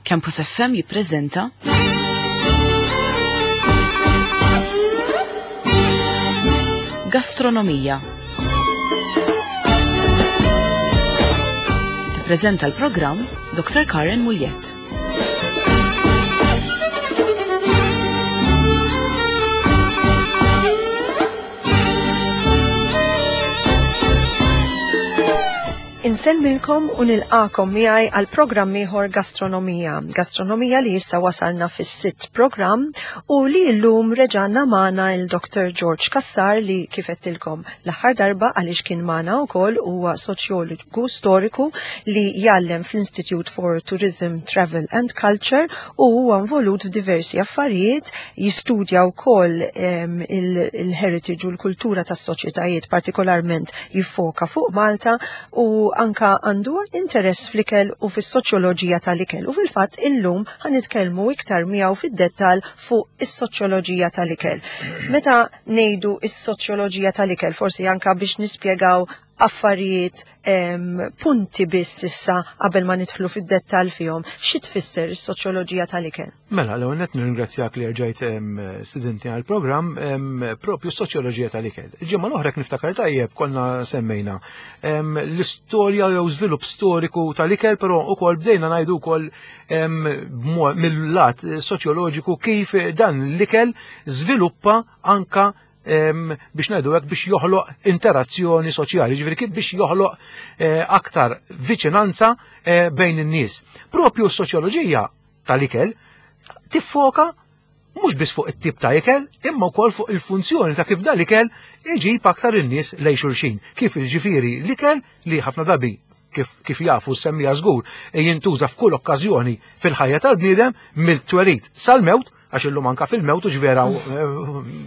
Campus FM jippreżenta Gastronomija. Tippreżenta l-programm Dr. Karen Muljett. Insellmilkom u nilqakom miegħi għal programm ieħor Gastronomija. Gastronomija li issa wasalna fis-sitt programm u li llum reġanna magħna il-Dr. George Kassar li kif qedtilkom l-aħħar darba għaliex kien magħna wkoll huwa soċjologu storiku li jgħallem fl-Institute for Tourism, Travel and Culture u huwa involut f'diversi affarijiet, jistudja wkoll il-heritage u l-kultura tas-soċjetajiet, partikolarment jiffoka fuq Malta u anka għandu interess fl-ikel u fis-soċjoloġija tal-ikel. U fil-fatt illum ħanitkellmu iktar miegħu fid-dettall fuq is-soċjoloġija tal-ikel. Meta ngħidu is-soċjoloġija tal-ikel, forsi anka biex nispjegaw affarijiet punti biss issa qabel ma nidħlu fid-dettall fihom, xi tfisser is-soċjoloġija tal-ikel? Mela, l-ewwel nett nirringrazzjak li rġajt studenti għal programm propju soċjoloġija tal-ikel. Il-ġimgħa l-oħra niftakar tajjeb konna semmejna l-istorja jew żvilupp storiku tal-ikel, però ukoll bdejna ngħidu wkoll mill-lat soċjoloġiku kif dan l-ikel żviluppa anka biex ngħidu hekk biex joħloq interazzjoni soċjali, ġifieri kif biex joħloq eh, aktar viċinanza eh, bejn in-nies. Propju s-soċjoloġija tal-ikel tiffoka mhux biss fuq it-tip ta' ikel, imma wkoll fuq il-funzjoni ta' kif dal-ikel iġib aktar in-nies lejn xulxin. Kif jiġifieri l-ikel li ħafna drabi kif, kif jafu semmija żgur jintuża f'kull okkażjoni fil-ħajja tal-bniedem mill-twelid sal-mewt, għax illum anka fil-mewt u ġvera eh,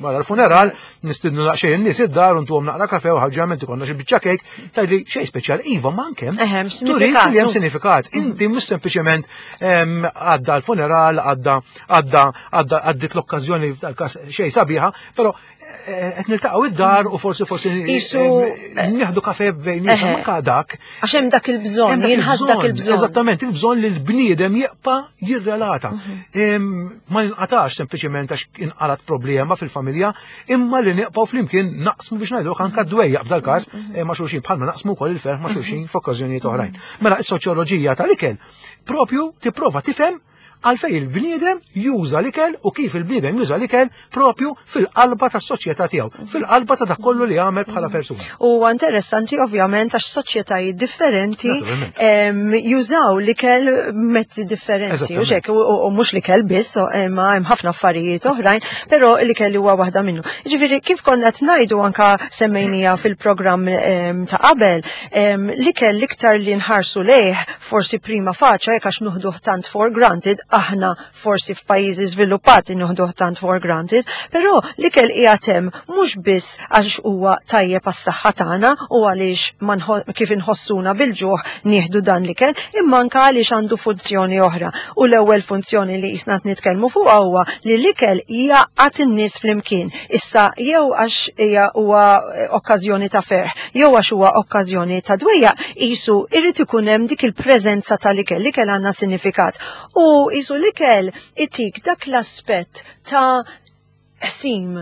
wara l-funeral nistidnu naqxejn in-nies id-dar u ntuhom naqra kafe u ħaġġament ikollna xi biċċa kejk tgħidli xejn speċjali iva ma anke hemm sinifikat. Hemm sinifikat. Inti mhux sempliċement għadda l-funeral, għadda għadda għadda għaddit l-okkażjoni tal-każ xejn sabiħa, però eh, qed niltaqgħu id-dar u forsi forsi Isu nieħdu kafe bejnietna anke dak. Għax hemm dak il-bżonn, jinħass dak il-bżonn. Eżattament, il-bżonn li l-bniedem jibqa' jirrelata. Mhm. Ma ninqatax sempliċement għax inqalat problema fil-familja, imma li nieqpaw flimkien naqsmu biex ngħidu anke dwejjaq f'dal-każ mhm. eh, ma' xulxin bħalma naqsmu wkoll il-ferħ ma' mhm. xulxin f'okkażjonijiet oħrajn. Mela is-soċjoloġija tal-ikel propju tipprova tifhem għalfej il-bniedem juża l-ikel u kif il-bniedem juża l-ikel propju fil-qalba tas-soċjetà tiegħu, fil-qalba ta' dak kollu li jagħmel bħala persuna. U interessanti ovvjament għax soċjetajiet differenti jużaw l-ikel mezzi differenti. U xek, u mhux l-ikel biss, ma hemm ħafna affarijiet oħrajn, però l-ikel huwa waħda minnu. Ġifieri kif konna qed ngħidu anka semmejnija fil-programm ta' qabel, l-ikel l-iktar li nħarsu lejh forsi prima faċa jekk għax nuħduh tant for granted, aħna forsi f'pajjiżi żviluppati nuħduh tant for granted, però l-ikel qiegħed hemm mhux biss għax huwa tajjeb għas-saħħa tagħna u għaliex kif inħossuna bil-ġuħ nieħdu dan l-ikel, imma anke għaliex għandu funzjoni oħra. U l-ewwel funzjoni li qisna qed nitkellmu fuqha huwa li l-ikel jgħaqqad in-nies flimkien. Issa jew għax hija huwa okkażjoni ta' ferħ, jew għax huwa okkażjoni ta' dwejjaq, qisu irid ikun hemm dik il-preżenza tal-ikel, l-ikel għandna sinifikat. U qisu l-ikel itik dak l-aspett ta' qsim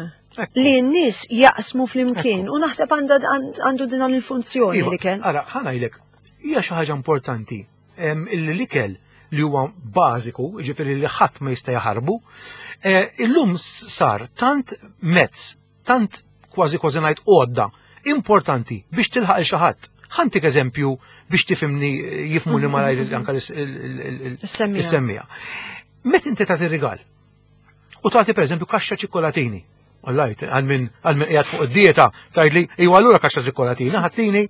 li n-nies jaqsmu flimkien u naħseb għandu din il-funzjoni iva, l-ikel. Ara, ħa ngħidlek, hija xi ħaġa importanti illi l-ikel li huwa bażiku, ġifieri li ħadd ma jista' jaħarbu, eh, illum sar tant mezz, tant kważi kważi ngħid għodda importanti biex tilħaq il xi ħadd. Ħantik eżempju biex tifhimni jifhmuni malajr anka l-semmija. Meta inti tagħti rigal u tagħti pereżempju kaxxa ċikkolatini, Għallajt, għal min għal min qiegħed fuq id-dieta, tgħidli, iwa allura kaxxa ċikkolatini, ħattini,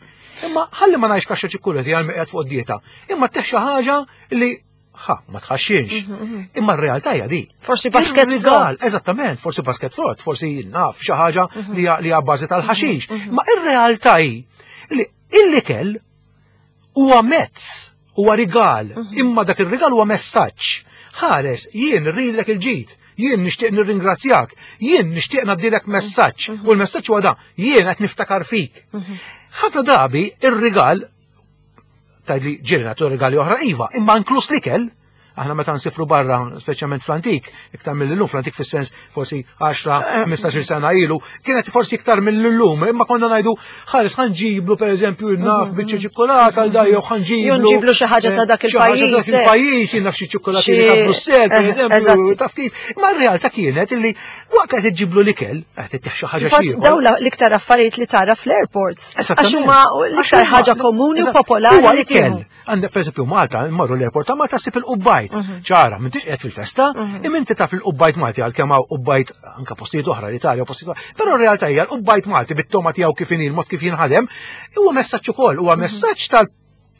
imma ħalli ma ngħidx kaxxa ċikkolatini għal min qiegħed fuq id-dieta. Imma teħ xi ħaġa li ħa, ma tħaxxinx. Mhm, mhm. Imma r-realtà hija di. Forsi basket frott. Eżattament, forsi basket frott, forsi naf xi ħaġa mhm. li hija bażi tal-ħaxix. Ma ir-realtà hi li l-ikel huwa mezz, huwa rigal, imma dak ir-rigal huwa messaġġ. Ħares, jien rridlek il-ġid, jien nixtieq nirringrazzjak, jien nixtieq ngħaddilek messaġġ, u l-messaġġ huwa da, jien qed niftakar fik. Ħafna drabi ir-rigal tgħidli ġieli nagħtu rigali oħra iva, imma inkluż l-ikel. Aħna meta nsifru barra, speċjalment fl-antik, iktar mill-lum, fl-antik fis-sens forsi 10-15 sena ilu, kienet forsi iktar mill-lum, imma konna ngħidu ħares ħanġiblu pereżempju naf biċċa ċikkolata għal daj jew ħanġiblu. Nġiblu xi ħaġa ta' dak il-pajjiż. Dak il-pajjiż, jien naf xi ċikkolatini ta' Brussell, pereżempju, taf kif. Imma r-realtà kienet illi waqt qed iġġiblu l-ikel, qed ittieħ xi ħaġa xi. Dawn l-iktar affarijiet li tara fl-airports. Għax huma l-iktar ħaġa komuni u popolari li tieħu. Għandek pereżempju Malta, mmorru l-airport ta' Malta ssib il-qubbajt. Ċara, m'intix qiegħed fil-festa, imma inti taf il-qubbajt Malti għalkemm hawn qubbajt anke postijiet oħra l-Italja u postijiet oħra. Però r-realtà hija l-qubbajt Malti bit-toma tiegħu kif inhi, l-mod kif jinħadem, huwa messaġġ ukoll, huwa messaġġ tal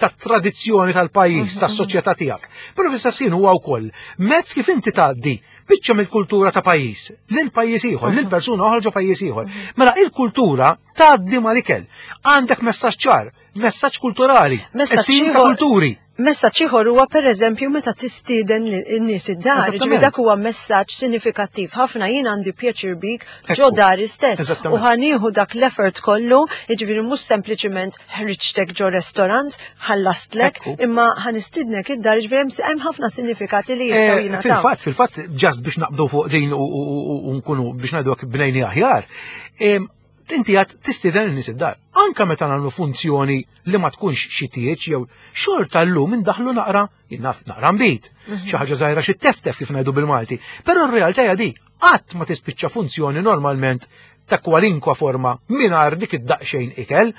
tat-tradizzjoni tal-pajjiż, tas-soċjetà tiegħek. Però fl-istess ħin huwa wkoll mezz kif inti tgħaddi biċċa mill-kultura ta' pajjiż lil pajjiż ieħor, lil persuna oħra ġo pajjiż ieħor. Mela il-kultura tgħaddi mal-ikel. Għandek messaġġ ċar, messaġġ kulturali, messaġġ ta' kulturi. Messaġġ ieħor huwa pereżempju meta tistieden n-nies id-dar, ġifieri dak huwa messaġġ sinifikattiv ħafna jien għandi pjaċir bik ġo dari stess u ħanieħu dak l-effort kollu, jiġifieri mhux sempliċiment ħriġtek ġo restorant, ħallastlek, imma ħanistidnek id-dar, jiġifieri hemm ħafna sinifikati li jistgħu eh, jingħataw. Fil-fatt, fil-fatt, ġast biex naqbdu fuq din u nkunu biex ngħidu bnejni aħjar, Inti għad tistieden in-nies id-dar. Anka meta nagħmlu funzjoni li ma tkunx xi tieġ jew xorta llum indaħlu naqra, naf naqra nbid, xi ħaġa żgħira xi teftef kif ngħidu bil-Malti. Però r-realtà hija di, qatt ma tispiċċa funzjoni normalment ta' kwalinkwa forma mingħajr dik id-daqsxejn ikel.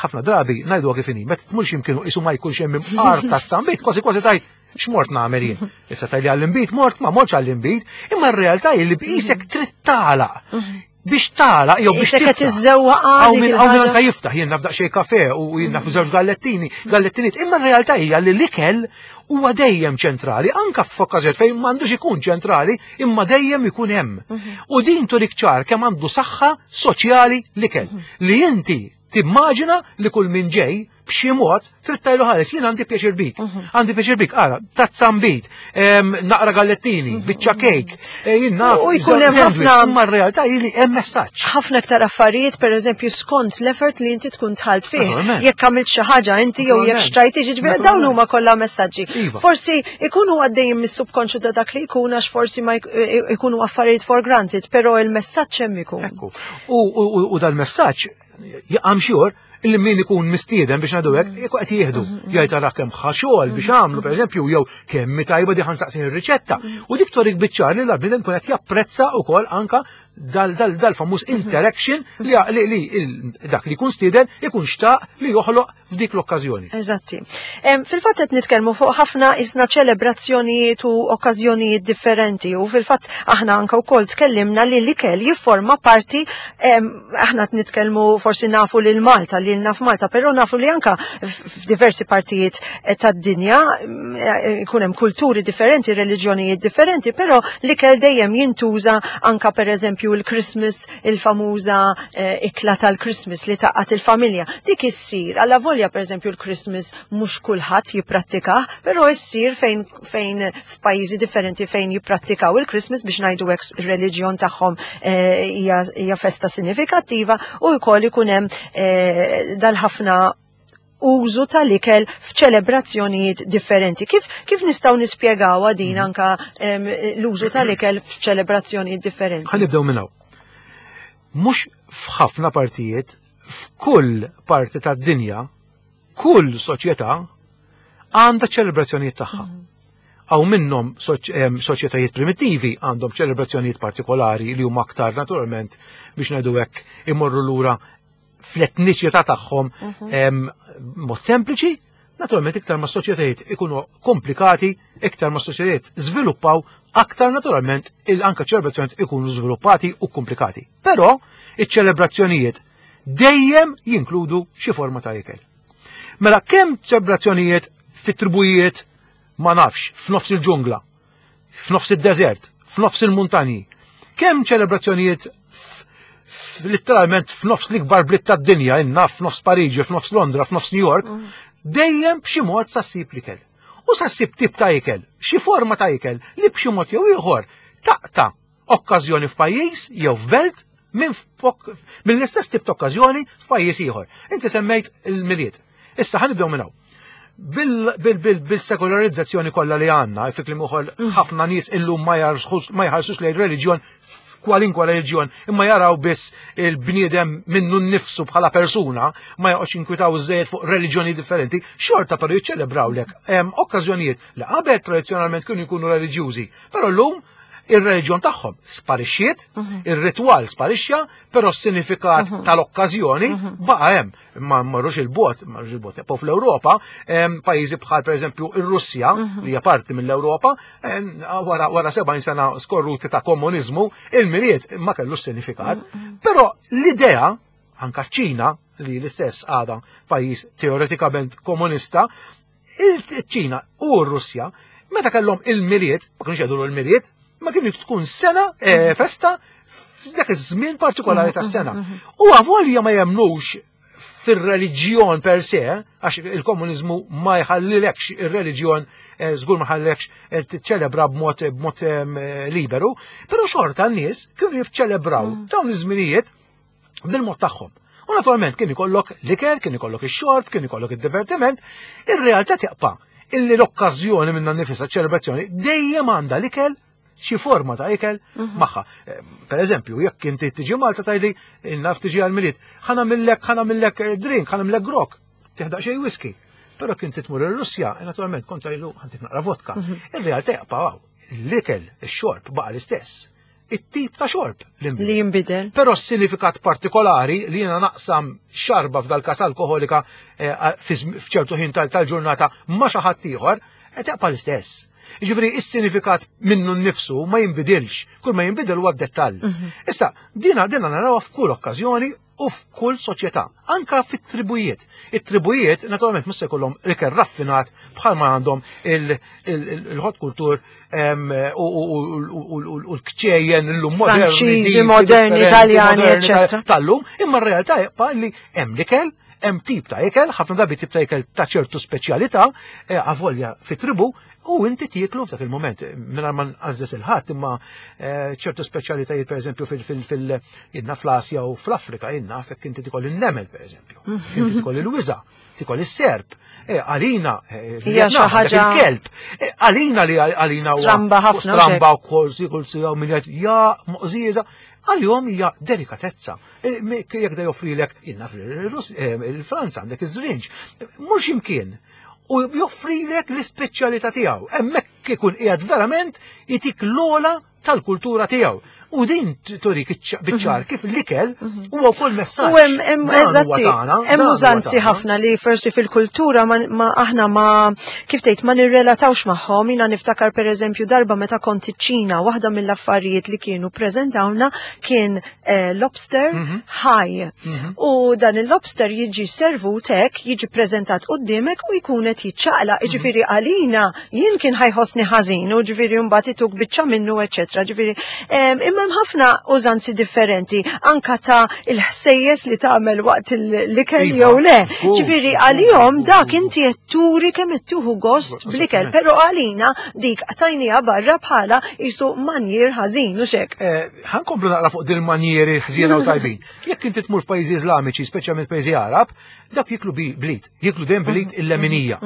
Ħafna drabi ngħidu kif inhi, meta tmur x'imkienu qisu ma jkunx hemm imqar ta' sambit, kważi kważi tajt x'mort nagħmel jien. Issa tajli għall-inbid mort, ma mortx għall-inbid, imma r-realtà hi li b'qisek trid tagħlaq biex tagħlaq jew biex tiftaħ. Iżżewwaq Hawn min hawn anke jiftaħ jien naf daqsxejn kafe u jien naf żewġ gallettini, gallettiniet, imma r-realtà hija li l-ikel huwa dejjem ċentrali, anke f'okkażjoni fejn m'għandux ikun ċentrali, imma dejjem ikun hemm. U din turik ċar kemm għandu saħħa soċjali l-ikel li inti timmaġina li kull min ġej b'xi mod trid tajlu ħares jien għandi pjaċir bik. Għandi pjaċir bik, ara, tazza nbid, naqra gallettini, biċċa kejk, e, jien naf. U jkun hemm ħafna. Imma r-realtà hi li hemm messaġġ. Ħafna iktar affarijiet, pereżempju, skont l-effort li inti tkun tħalt fih. Jekk għamilt xi ħaġa inti jew jekk xtrajt jiġifieri dawn huma kollha messaġġi. Iva. Forsi ikunu għaddejjin mis-subkonxju ta' dak li jkun għax forsi ma jkunu affarijiet for granted, però il-messaġġ hemm ikun. U dal-messaġġ I'm sure illi min ikun mistieden biex ngħidu hekk, jekk qed jieħdu, jgħid ara kemm ħa xogħol biex għamlu pereżempju jew kemm tajba di ħansaqsin ir-riċetta. U dik torik biċ-ċar li l-bniedem kun qed japprezza wkoll anka dal-famuż interaction li dak li jkun stieden ikun xtaq li joħloq f'dik l-okkażjoni. Eżatti. Fil-fatt qed nitkellmu fuq ħafna isna ċelebrazzjonijiet u okkażjonijiet differenti u fil-fatt aħna anke wkoll tkellimna li l-ikel jifforma parti aħna qed nitkellmu forsi nafu lil Malta, lil naf Malta, però nafu li anka f'diversi partijiet eh, tad-dinja eh, ikun hemm kulturi differenti, reliġjonijiet differenti, però l-ikel dejjem jintuża anka pereżempju l-Christmas, il-famuża eh, ikla tal-Christmas li taqqat il-familja. Dik issir, alla volja pereżempju l-Christmas mhux kulħadd jipprattikah, però issir fejn fejn f'pajjiżi differenti fejn jipprattikaw il-Christmas biex ngħidu hekk ir-reliġjon tagħhom eh, hija festa sinifikattiva u wkoll ikun hemm eh, dal-ħafna użu tal-ikel f'ċelebrazzjonijiet differenti. Kif, kif nistgħu nispjegaw din anka l-użu tal-ikel f'ċelebrazzjonijiet differenti? Ħa nibdew minn hawn. Mhux f'ħafna partijiet, f'kull parti tad-dinja, kull soċjetà għandha ċelebrazzjonijiet tagħha. Hawn minnhom soċjetajiet primittivi għandhom ċelebrazzjonijiet partikolari li huma aktar naturalment biex ngħidu hekk imorru lura fl-etniċità tagħhom mod sempliċi, naturalment iktar ma soċjetajiet ikunu komplikati, iktar ma soċjetajiet żviluppaw, aktar naturalment il-anka ċelebrazzjonijiet ikunu żviluppati u komplikati. Però iċ-ċelebrazzjonijiet dejjem jinkludu xi forma ta' ikel. Mela kemm ċelebrazzjonijiet fit-tribujiet ma nafx, f'nofs il-ġungla, f'nofs id-deżert, f'nofs il-muntanji, kemm ċelebrazzjonijiet letteralment f'nofs l-ikbar bliet tad-dinja, innaf f'nofs Pariġi, f'nofs Londra, f'nofs New York, dejjem b'xi mod sa ssib l-ikel. U sa ssib tip ta' ikel, xi forma ta' ikel li b'xi mod jew ieħor taqta' okkażjoni f'pajjiż jew f'belt minn mill-istess tip ta' okkażjoni f'pajjiż ieħor. Inti semmejt il-Milied. Issa ħa nibdew minn hawn. Bil-sekolarizzazzjoni kollha li għandna, fi kliem ukoll ħafna nies illum ma jħarsux lejn reliġjon kwalinkwa reliġjon, imma jaraw biss il-bniedem minnu nnifsu bħala persuna, ma joqgħodx inkwitaw żejjed fuq reliġjoni differenti, xorta però jiċċelebrawlek okkażjonijiet li qabel tradizzjonalment kienu jkunu reliġjużi, però llum ir-reliġjon tagħhom sparixxiet, ir-ritwal sparixxa, però s-sinifikat tal-okkażjoni baqa' hemm. Ma marrux il-bot, marrux il-bot. Po fl-Ewropa, pajjiżi bħal pereżempju ir-Russja, li hija parti mill-Ewropa, wara 70 sena skorruti ta' komuniżmu, il-Milied ma kellux sinifikat. Però l-idea, anka ċ-Ċina, li l-istess għadha pajjiż teoretikament komunista, il-Ċina u r-Russja, meta kellhom il-Milied, ma kienux jgħidu l-Milied, ma kienu tkun sena festa f'dak iż-żmien partikolari tas-sena. U avolja ma jemnux fir-reliġjon per se, għax il-komuniżmu ma jħallilekx ir-reliġjon, żgur ma jħallilekx tiċċelebra b'mod liberu, però xorta n-nies kienu jiċċelebraw dawn iż-żminijiet bil-mod tagħhom. U naturalment kien ikollok l-ikel, kien ikollok ix-xorb, kien ikollok id-divertiment, ir-realtà tibqa' illi l-okkażjoni minna nnifisha ċelebrazzjoni dejjem għandha l-ikel, xi forma ta' ikel magħha. Per eżempju, jekk inti tiġi Malta tgħidli naf tiġi għall-Milied, ħa nagħmillek drink, ħa nagħmillek grok, tiħdaq xejn whisky. Però kien titmur ir-Russja, naturalment kont tgħidlu ħantik naqra vodka. Ir-realtà jaqpa' hawn, l-ikel, ix-xorb baqa' l-istess. It-tip ta' xorb li nbidel. Li jinbidel. Però s-sinifikat partikolari li jiena naqsam xarba f'dal każ alkoholika f'ċertu ħin tal-ġurnata ma' xi ħadd ieħor, tibqa' l-istess. Jiġifieri is-sinifikat minnu nnifsu ma jinbidilx, kull ma jinbidel huwa d-dettall. Issa, dina narawha f'kull okkażjoni u f'kull soċjetà, anka fit-tribujiet. It-tribujiet naturalment mhux se jkollhom ikel raffinat bħalma għandhom il-hot kultur u l-kċejjen illum moderni, Franċiżi, moderni, Italjani, eċċetera. Tal-lum, imma r-realtà jibqa' li hemm l-ikel, hemm tip ta' ikel, ħafna drabi tip ta' ikel ta' ċertu speċjalità, avolja fit-tribu, u inti tieklu f'dak il-moment, mingħajr ma nqażżes il-ħadd, imma ċertu speċjalitajiet pereżempju inna fl-Asja u fl-Afrika, inna fekk inti tikol in-nemel pereżempju, inti tikol il-wiża, tikol is-serp, għalina, Hija xi Vietnam, għandek ħaġa il-kelb, għalina li għalina huwa stramba ħafna, stramba xek. u kolsi, kolsi, jew min jgħid, ja, moqżieża, għalihom hija delikatezza. Jekk da joffrilek, inna fil-Franza għandek iż-żrinġ, mhux imkien. U joffrilek l-ispeċjalità tiegħu. Hemmhekk ikun qiegħed verament itik l-ola tal-kultura tiegħu. U din turik biċ-ċar kif l-ikel huwa wkoll messaġġ. U hemm Dan huwa eżatti, tagħna, hemm dan huwa użanzi tagħna. ħafna li forsi fil-kultura ma aħna ma kif tgħid ma nirrelatawx magħhom. Jiena niftakar pereżempju darba meta kont iċ-Ċina, waħda mill-affarijiet li kienu preżentawna kien lobster ħaj. U dan il-lobster jiġi servut hekk, jiġi preżentat quddiemek u jkun qed jiċċaqlaq. Jiġifieri għalina jien kien ħajħossni ħażin u ġifieri mbagħad ituk biċċa minnu, eċċetera. Ġifieri, imma hemm ħafna użanzi differenti, anka ta' il-ħsejjes li tagħmel waqt l-ikel jew le. Ġifieri għalihom dak inti qed turi kemm qed tieħu gost bl-ikel, però għalina dik tajnija barra bħala qisu manjier ħażin u xek. Ħankomplu naqra fuq din il-manjieri ħżiena u tajbin. Jekk inti tmur f'pajjiżi Iżlamiċi, speċjalment pajjiżi Arab, dak jiklu blit, jiklu dejjem blit il-leminija.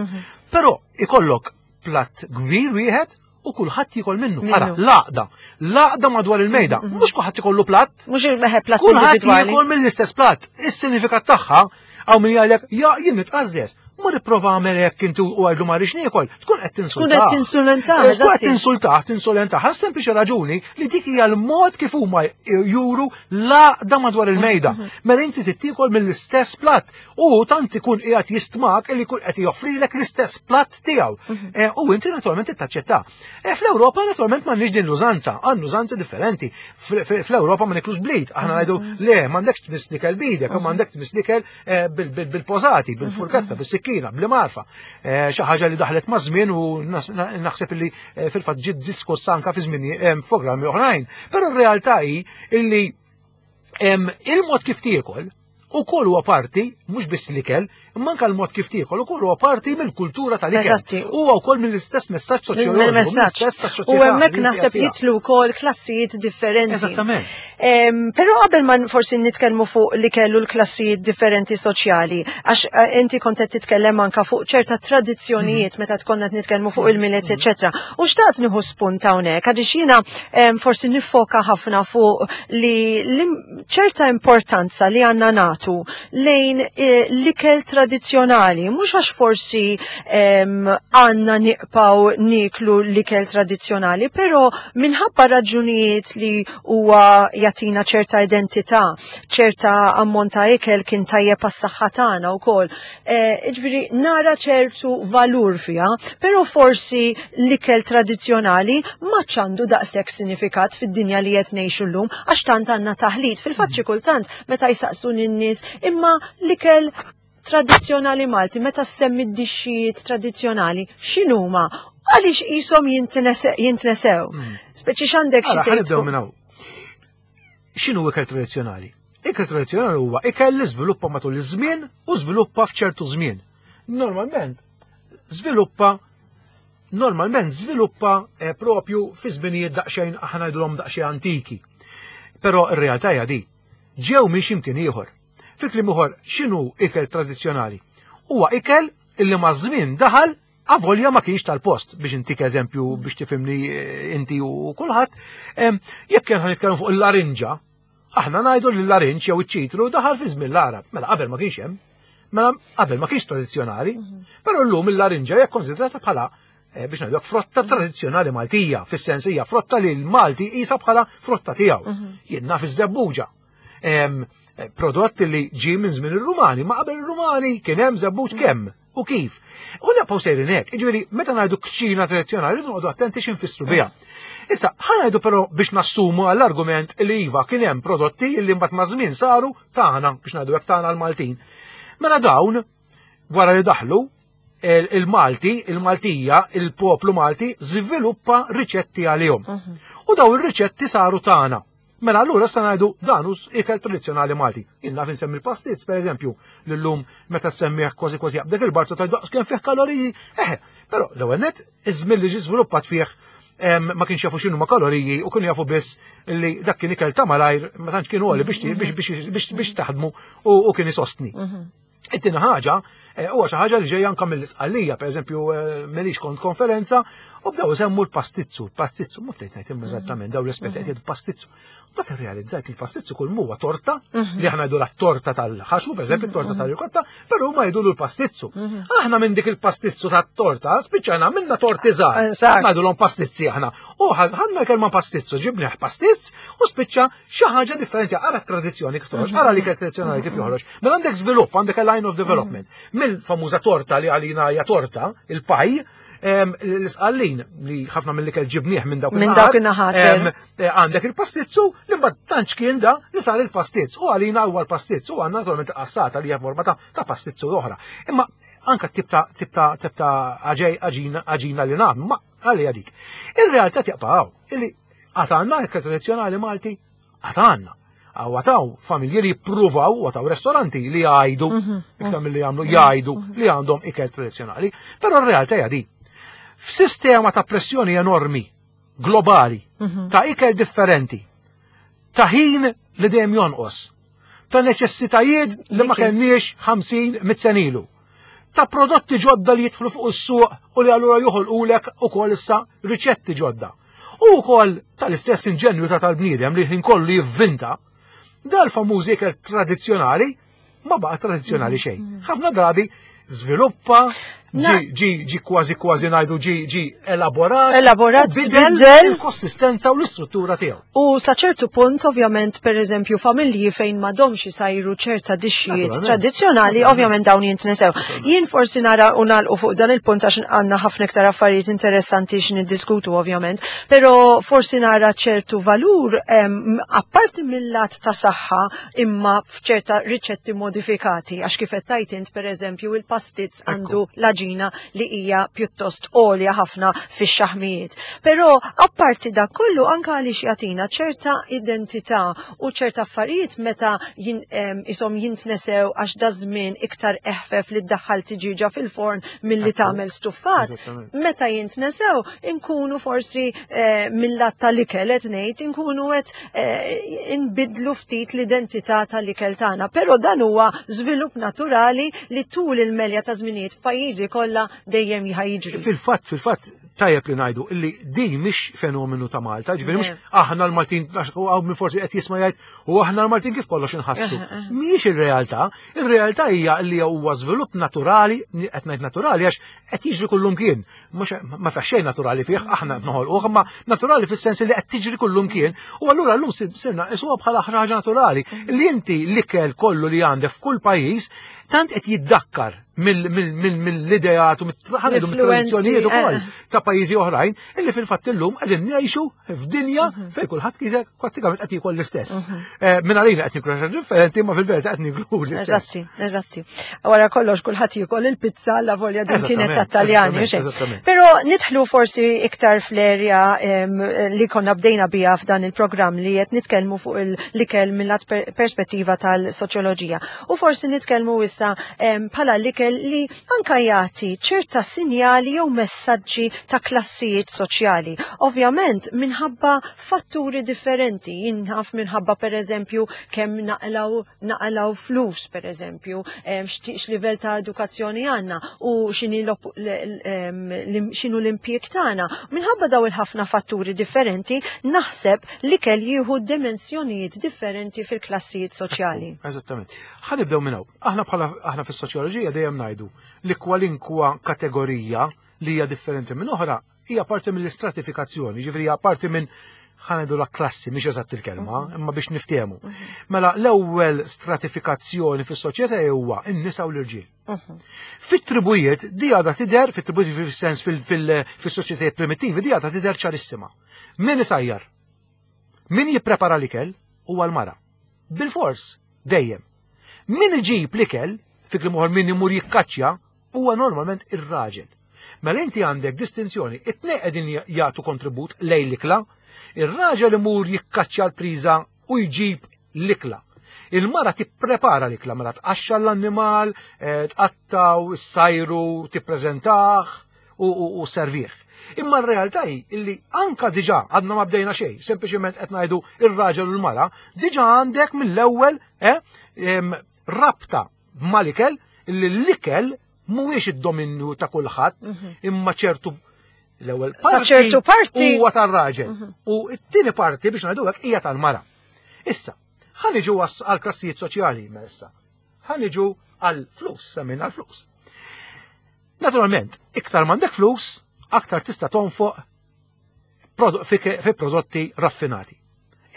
Però ikollok platt kbir wieħed u kulħadd jiekol minnu. Minnu. Ara, l-għaqda. L-għaqda madwar il-mejda. Mhux kulħadd ikollu platt. Mhux il-meħe platt Kulħadd individwali. jiekol mill-istess platt. Is-sinifikat tagħha hawn min jgħidlek, ja, jien nitqażżeż. Ma nipprova għamel hekk inti u għajdu ma rridx niekol, tkun qed tinsultah. Tkun qed tinsulentah, Tkun qed eżatti. tinsultah, tinsolentah. Għal sempliċi raġuni li dik hija l-mod kif huma juru l-għaqda madwar il-mejda. Mela inti tittiekol mill-istess platt u tant ikun qiegħed jistmak li jkun qed joffrilek l-istess platt tiegħu. U inti naturalment tittaċċetta. Fl-Ewropa naturalment m'għandniex din l-użanza, għandna użanzi differenti. Fl-Ewropa ma niklux blit, aħna ngħidu le m'għandekx tmiss l-ikel bidek, m'għandek tmiss l-ikel bil-pożati, bil-furketta, bis-sikkina, bl-marfa. Xi ħaġa li daħlet ma' żmien u naħseb li fil-fatt ġiet diskussa anka fi żmien f'programmi oħrajn. Però r-realtà hi illi il-mod kif tiekol ukoll huwa parti mhux biss l-ikel, imma anke l-mod kif tiekol ukoll huwa parti mill-kultura tal-ikel. Eżatti. Huwa wkoll mill-istess messaġġ soċjoloġiku. Mill-messaġġ. U hemmhekk naħseb jitlu wkoll klassijiet differenti. Eżattament. Però qabel ma forsi nitkellmu fuq li kellu l-klassijiet differenti soċjali, għax eh, inti kont qed titkellem anka fuq ċerta tradizzjonijiet mhm. meta tkonna qed nitkellmu fuq il-miliet, mhm. eċetera. U xtaqt nieħu spunt hawnhekk għaliex jiena forsi nifoka ħafna fuq li ċerta importanza li għandna natu lejn eh, l-ikel tradizzjonali, mhux għax forsi għandna niqpaw niklu l-ikel tradizzjonali, però minħabba raġunijiet li huwa jagħtina ċerta identità, ċerta ammont ta' ikel kien tajjeb għas-saħħa tagħna wkoll. Eh, ġifieri nara ċertu valur fiha, però forsi l-ikel tradizzjonali ma ċandu daqshekk sinifikat fid-dinja li qed ngħixu llum għax tant għandna taħlit. Fil-fatt xi kultant meta jsaqsu n-nies imma l-ikel tradizzjonali Malti, meta semmi d-dixxijiet tradizzjonali, x'inhuma? Għaliex qishom jintnesew? Mm. Speċi x'għandek xi tgħid? minn hawn. X'inhu ikel tradizzjonali? Ikel tradizzjonali huwa ikel li żviluppa matul iż-żmien u żviluppa f'ċertu żmien. Normalment żviluppa normalment żviluppa eh, propju fi żminijiet daqsxejn aħna ngħidulhom daqsxejn antiki. Però r-realtà hija di. Ġew minn x'imkien ieħor. Fi kliem ieħor, x'inhu ikel tradizzjonali? Huwa ikel illi maż-żmien daħal avolja ma kienx tal-post biex intik eżempju biex tifhimni eh, inti u kulħadd, jekk kien nitkellmu fuq il-larinġa, aħna ngħidu li l-larinġ jew iċ-ċitru daħal fi żmien l-Arab, mela qabel ma kienx hemm, mela qabel ma kienx tradizzjonali, mhm. però llum il-larinġa hija konsidrata bħala eh, biex ngħidu frotta tradizzjonali Maltija, fis-sens hija frotta li l-Malti qisha bħala frotta tiegħu. Mhm. Jien naf iż-żebbuġa. Eh, prodott li ġie minn żmien ir-Rumani, ma qabel ir-Rumani kien hemm żebbuġ kemm u kif. U nibqgħu sejrin hekk, jiġifieri meta ngħidu kċina tradizzjonali rridu noqogħdu attenti x'infissru biha. Issa, ħa ngħidu però biex nassumu għall-argument li iva kien hemm prodotti li mbagħad ma' żmien saru tagħna biex ngħidu hekk tagħna l-Maltin. Mela dawn wara li daħlu il-Malti, il-Maltija, il-poplu Malti żviluppa riċetti għalihom. Mhm. U daw ir-riċetti saru tagħna. Mela allura issa ngħidu dan hu ikel tradizzjonali Malti. Jien naf insemmi l-pastizz pereżempju li llum meta semmih kważi kważi jaqbdek il-barzu ta' daqs kemm fih kaloriji. Eħe, però l-ewwel net iż-żmien li ġie żviluppat fih ma kienx jafu x'inhu ma kaloriji u kienu jafu biss li dak kien ikel ta' malajr ma tantx kienu għoli biex biex taħdmu u kien isostni. Mhm. It-tieni ħaġa eh, huwa xi ħaġa li ġejja anke mill-isqallija, pereżempju eh, melix kont konferenza u bdew isemmu l-pastizzu, l-pastizzu, ma bdejt ngħid imma eżattament dawn l-esperti qed pastizzu. Ma tirrealizzajt li l-pastizzu kull huwa torta mhm. li aħna jgħidu torta tal-ħaxu, pereżempju mhm, torta mhm. tal-rikotta, però huma jgħidu l-pastizzu. Aħna minn dik il-pastizzu tat-torta spiċċajna minna torti żgħar. Eh, Ngħidulhom pastizzi aħna. U ħadna l-kelma pastizzu, ġibnieh pastizz u spiċċa xi ħaġa differenti, ara t-tradizzjoni kif toħroġ, ara l-ikel tradizzjonali kif joħroġ. Mela għandek żvilupp, għandek a line of development. Mill-famuża torta li għalina hija torta, il-paj, l-isqallin li ħafna mill-ikel ġibnieh minn dawk Minn dawk in-naħat, eh, għandek il-pastizzu li mbagħad tantx kien da li sar il-pastizz u għalina huwa l-pastizz u għandna naturalment qassata li hija forma ta' pastizzu oħra. Imma anka tip ta' tip ta' tip ta' aġina li nagħmlu, ma għalija dik. Ir-realtà tibqa' hawn, illi Għad għandna ikel tradizzjonali Malti? Għad għandna. Għataw familji li jippruvaw, għataw restoranti li jgħidu, mhm. iktar mill-li jagħmlu, mhm. jgħidu mhm. li għandhom ikel tradizzjonali, però r-realtà hija di. F'sistema ta' pressjoni enormi, globali, ta' ikel differenti, ta' ħin li dejjem jonqos, ta' neċessitajiet li ma kellniex 50 mit senilu, ta' prodotti ġodda li jidħlu fuq is-suq u li allura joħolqulek ukoll issa riċetti ġodda. U wkoll tal-istess inġenju ta' tal-bniedem li ħin kollu jivvinta, dal-famuż ikel tradizzjonali ma baqa' tradizzjonali xejn. Mm. Ħafna drabi żviluppa ġi ġi kważi kważi ngħidu ġi ġi elaborat. Elaborat, bidel il-konsistenza u l-istruttura tiegħu. U sa ċertu punt, ovvjament, per eżempju, familji fejn m'għadhomx isajru ċerta dixxijiet tradizzjonali, ovvjament dawn jintnesew. Jien forsi nara u nagħlqu fuq dan il-punt għax għandna ħafna iktar affarijiet interessanti x'niddiskutu ovvjament, però forsi nara ċertu valur apparti mill-lat ta' saħħa imma f'ċerta riċetti modifikati għax kif qed tgħid int pereżempju il-pastizz għandu l l-għaġina li hija pjuttost għolja ħafna fix-xaħmijiet. Però apparti dak kollu anke għaliex jagħtina ċerta identità u ċerta affarijiet meta isom jintnesew għax da żmien iktar eħfef li ddaħħal tiġiġa fil-forn milli tagħmel stuffat. Meta jintnesew inkunu forsi eh, mill-lat tal-ikel qed ngħid inkunu qed eh, inbidlu ftit l-identità tal-ikel tagħna. Però dan huwa żvilupp naturali li tul il-melja ta' żminijiet f'pajjiżi kollha dejjem jiġri. Fil-fatt, fil-fatt, tajjeb li ngħidu illi din mhix fenomenu ta' Malta, ġifieri mhux aħna l-Maltin għaw minn forsi qed jisma' jgħid u aħna l-Maltin kif kollox inħassu. Mhijiex ir-realtà, ir-realtà hija li huwa żvilupp naturali, qed ngħid naturali għax qed jiġri kullumkien. Mhux ma fih xejn naturali fih, aħna noħolquh, imma naturali fis-sens li qed tiġri kullumkien. U allura llum sirna isuha bħala ħraġa naturali li inti l-ikel kollu li għandek f'kull pajjiż tant qed jiddakkar mill-ideat u mit-tradizzjonijiet ukoll eh. ta' pajjiżi oħrajn illi fil-fatt illum qegħdin ngħixu f'dinja mhm. fejn kulħadd kisek prattikament qed jiekol l-istess. Mhm. Eh, minn għalina qed niklu xi differenti, ma fil-verità qed niklu l-istess. Eżatti, eżatti. Wara kollox kulħadd jiekol il-pizza la volja din kienet tat-Taljani. Però nidħlu forsi iktar fl-erja li konna bdejna biha f'dan il-programm li qed nitkellmu fuq l-ikel mill-lat perspettiva tal-soċjoloġija. U forsi nitkellmu issa bħala l-ikel li anka jagħti ċerta sinjali jew messaġġi ta' klassijiet soċjali. Ovvjament minħabba fatturi differenti, jinħaf minħabba per eżempju kemm naqlaw naqlaw flus per eżempju, x'livell ta' edukazzjoni għandna u x'inhu l-impjieg tagħna. Minħabba daw il-ħafna fatturi differenti, naħseb l-ikel jieħu dimensjonijiet differenti fil-klassijiet soċjali. Eżattament. Ħa nibdew minn hawn. Aħna bħala aħna fis-soċjoloġija dejjem ngħidu li kwalinkwa kategorija li hija differenti minn oħra hija parti mill-istratifikazzjoni, ġifieri hija parti minn ħanajdu la klassi, mhix eżatt il-kelma, mhm. imma biex niftehmu. Mhm. Mela l-ewwel stratifikazzjoni fis-soċjetà huwa n-nisa u l-irġiel. Mhm. Fit-tribujiet di għadha tidher, fit-tribujiet fis-sens fis-soċjetajiet primittivi, di għadha tidher ċarissima. Min isajjar? Min jipprepara l-ikel huwa l-mara. Bilfors, dejjem. Min iġib l-ikel, fi kliem ieħor min imur jikkaċċja, huwa normalment ir-raġel. Mela inti għandek distinzjoni, it-tnejn qegħdin jagħtu kontribut lejn l-ikla, ir-raġel imur jikkaċċja l-priża u jġib l-ikla. Il-mara tipprepara l-ikla, mela tqaxxar l-annimal, eh, tqattaw, issajru, tippreżentah u servih. Imma r-realtà hi illi anka diġà għadna ma bdejna xejn, sempliċement qed ngħidu ir-raġel u l-mara, diġà għandek mill-ewwel eh, rabta mal-ikel illi l-ikel mhuwiex id-dominju ta' kulħadd, mhm. imma ċertu l-ewwel parti ċertu parti huwa tar-raġel. Mhm. U t-tieni parti biex ngħidu hekk hija tal-mara. Issa, ħa niġu għal klassijiet soċjali issa. Ħa niġu għal flus, semmejna għal flus. Naturalment, iktar m'għandek flus, aktar tista' tonfoq fi prodotti raffinati.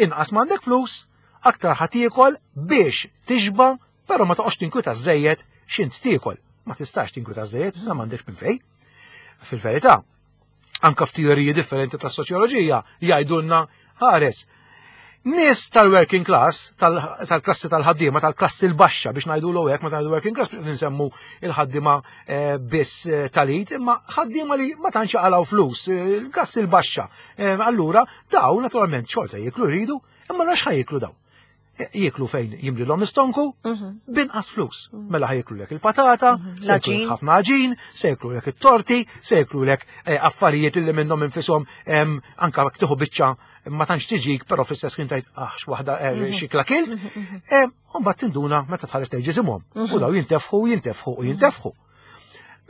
Inqas m'għandek flus, aktar ħa tiekol biex tixba, però ma toqgħodx tinkwita żejjed x'int tiekol. Ma tistax tinkwita żejjed, ma m'għandekx minn fejn. Fil-verità, anka f'teoriji differenti tas soċjoloġija jgħidulna ħares. Nies tal-working class, tal-klassi tal-ħaddiema, tal-klassi l-baxxa biex ngħidu l hekk meta ngħidu working class biex nsemmu il-ħaddiema eh, biss eh, tal-id, imma ħaddiema li ma tantx jaqalgħu flus, eh, il-klassi l-baxxa. Allura daw naturalment xorta jieklu jridu, imma rax ħajjiklu daw. Jieklu fejn jimlilhom istonku mhm. binqas flus. Mhm. Mela ħajjieklu lek il-patata, mhm. se jieklu ħafna għaġin, se jieklu lek it-torti, se jieklu lek eh, affarijiet li minnhom infisom anka jekk tieħu biċċa ma tantx tiġik, però fl-istess kien tgħid ah x'waħda eh, xikla kilt, eh, u mbagħad tinduna meta tħares lejn ġisimhom. U daw jintefħu, jintefħu u jintefħu.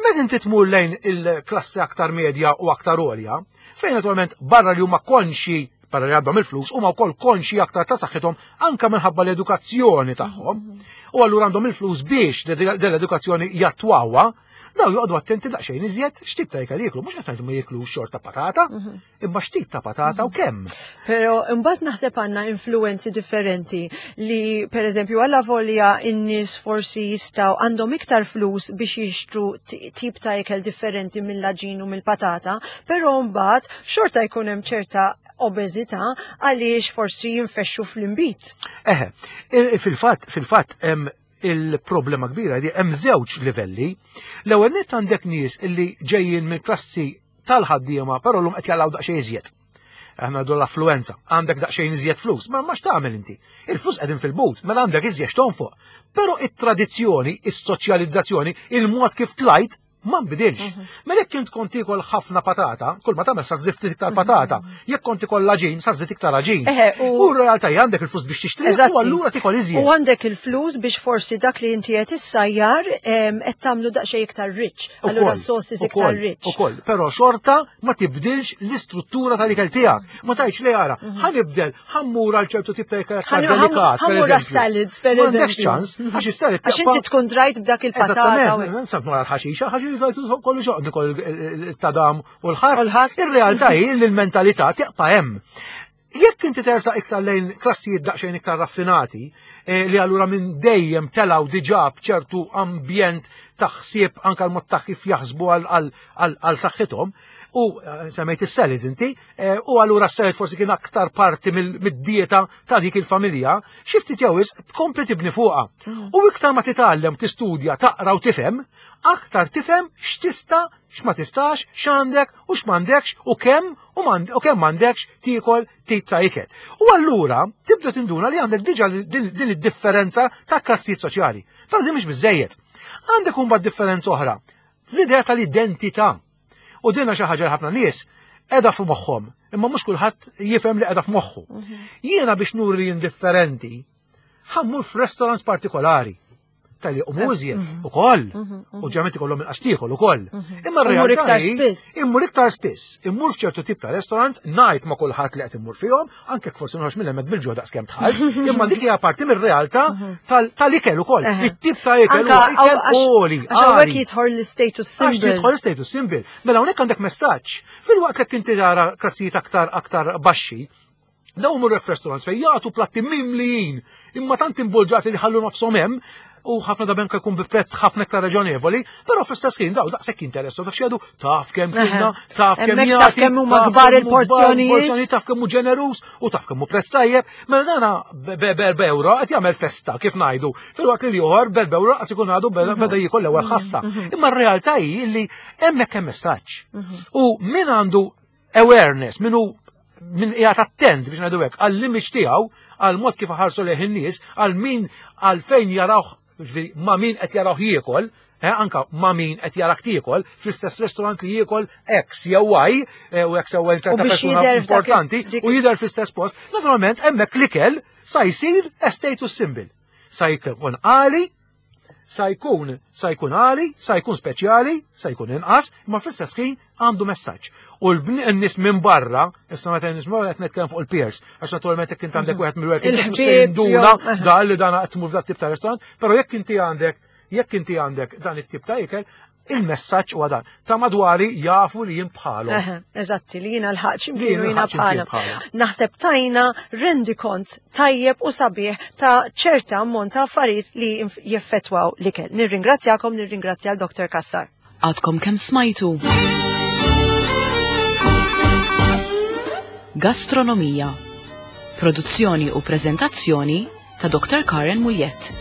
Meta inti tmur lejn il-klassi aktar medja u aktar għolja, fejn naturalment barra li huma konxi barra li għandhom il-flus, huma wkoll konxi aktar ta' saħħithom anka minħabba l-edukazzjoni tagħhom. U allura għandhom il-flus biex dell-edukazzjoni jattwawha, daw joqogħdu attenti daqsxejn iżjed x'tip ta' ikel jieklu, mhux qed ngħidu ma jieklu xorta patata, mhm. imma x'tip ta' patata u kemm. Però imbagħad naħseb għandna influenzi differenti li pereżempju għalla volja in-nies forsi jistgħu għandhom iktar flus biex jixtru tip ta' ikel differenti mill-aġin u mill-patata, però mbagħad xorta jkun hemm ċerta obeżità għaliex forsi jinfexxu fl-inbid. Eħe, fil-fatt, fil-fatt hemm Il-problema kbira di hemm żewġ livelli. L-ewwel nett għandek nies illi ġejjin minn klassi tal-ħaddiema però llum qed jaqilgħu daqsxejn iżjed. Aħna ngħidu l-affluenza, għandek daqsxejn iżjed flus, ma ma x'tagħmel inti? Il-flus qegħdin fil-but, mela għandek iżjed x'tonfoq. Però it-tradizzjoni, is-soċjalizzazzjoni, il-mod kif tlajt ma nbidilx. Mela jekk int kont tiekol ħafna patata, kull ma tagħmel sa żżid ftit iktar patata. Jekk kont tiekol l-għaġin, sa żżid iktar għaġin. Eħe, U r-realtà hija għandek il-flus biex tixtri u Eżatti. allura tiekol iżjed. U għandek il-flus biex forsi dak li inti qed issajjar qed tagħmlu daqsxejn iktar rich. Allura Ukoll, sauces iktar ukoll, rich. Ukoll, però xorta ma tibdilx l-istruttura tal-ikel tiegħek. Ma tgħidx li ara, ħa nibdel, ħa mmur għal ċertu tip ta' ikel aktar delikat. Ħa mmur għas-salads, per M'għandekx eżempju. ċans, għax is-salad Għax inti tkun drajt b'dak il-patata. u Eżattament, nsab nara l-ħaxixa, ħaxixa kollu xoq nikol il-tadam u l-ħass. U l-ħass. Ir-realtà hi li l-mentalità tibqa' hemm. Jekk inti tersaq iktar lejn klassijiet daqsxejn iktar raffinati, li allura minn dejjem telgħu diġà b'ċertu ambjent ta' ħsieb anke l-mod ta' kif jaħsbu għal saħħithom, u semmejt is-salads inti, u allura s-salad forsi kien aktar parti mid-dieta ta' dik il-familja, xi ftit jew wisq tkompli tibni fuqha. U iktar ma titgħallem, tistudja, taqra u tifhem, aktar tifhem x'tista', x'ma tistax, x'għandek u x'm'għandekx u kemm u kemm m'għandekx tiekol tip ta' ikel. U allura tibda tinduna li għandek diġà din id-differenza ta' klassijiet soċjali. Però din mhix biżejjed. Għandek imbagħad differenza oħra, l-idea tal-identità. U dinha xi ħaġa li ħafna nies qiegħda f'moħħhom, imma mhux kulħadd jifhem li qiegħda f'moħħu. Jiena biex nuri li jien differenti, ħa mmur f'restaurants partikolari. Tal-li u mużjed ukoll, u ġeneralment ikollhom inqas tiekol ukoll. Imma Immur r-realtà iktar hi, spiss. Immur iktar spiss. Immur f'ċertu tip ta' restaurants, ngħid ma' kulħadd li qed immur fihom, anke jekk forsi noħroġ minn hemmhekk bil-ġuħ daqskemm dħalt, imma dik hija parti mir-realtà tal-ikel ukoll. It-tip ta' ikel Anka huwa ikel għoli, għax hawnhekk għali. jidħol l-status Għax symbol. jidħol l-status symbol. Mela hawnhekk għandek messaġġ. Filwaqt li inti tara klassijiet aktar baxxi, dawn imorru f'restaurants fejn jagħtu platti mimlijin, imma tant imbolġati li ħallu nofshom hemm, u ħafna drabi anke jkun bi prezz ħafna iktar raġonevoli, però fl-istess ħin daw daqshekk interessu, taf x'jgħidu, taf kemm kilna, taf kemm Hemmhekk taf jagħti, kemm huma taf kbar kemm hu kbar il-porzjonijiet. il-porzjonijiet, taf kemm hu ġeneruż u taf kemm hu prezz tajjeb. Mela dana b'erba' euro qed jagħmel festa kif ngħidu, filwaqt li l-ieħor b'erba' euro qas ikun għadu beda jiekol l-ewwel ħassa. Imma r-realtà hi li hemmhekk hemm messaġġ. U min għandu awareness, min hu min qiegħed attent biex ngħidu hekk għall-image tiegħu, għal mod kif iħarsu lejh in-nies, għal min għal fejn jarawh, ġifieri ma' min qed jarawh jiekol, anka ma' min qed jarak tiekol, fl-istess restaurant li jiekol X jew Y, u X jew Y ċerta U biex persuna jidher f'dak importanti, dik u jidher fl-istess post, naturalment hemmhekk l-ikel sa jsir a status symbol. Sa jkun għali, sa jkun, sa jkun għali, sa jkun speċjali, sa jkun inqas, imma fl-istess ħin għandu messaġġ. U n-nies minn barra, issa meta n-nies minn barra qed nitkellem fuq il-peers, għax naturalment jekk inti għandek wieħed mill-working class, Il-ħbieb, se jinduna jew, dan li dan qed tmur f'dat tip ta' restaurant, però jekk inti għandek dan it-tip ta' ikel, il-messaġġ huwa dan. Ta' madwari jafu li jien bħalhom. Eħe, eżatti, li jiena l-ħaġ Li imkienu jiena jiena l-ħaġ imkien bħalhom. bħalhom. Naħseb tajna rendikont tajjeb u sabiħ ta' ċerta ammont ta' affarijiet li jeffettwaw l-ikel. Nirringrazzjakom, nirringrazzja l-Dr. Cassar. Għadkom kemm smajtu. Gastronomija. Produzzjoni u prezentazzjoni ta' Dr. Karen Mugliett.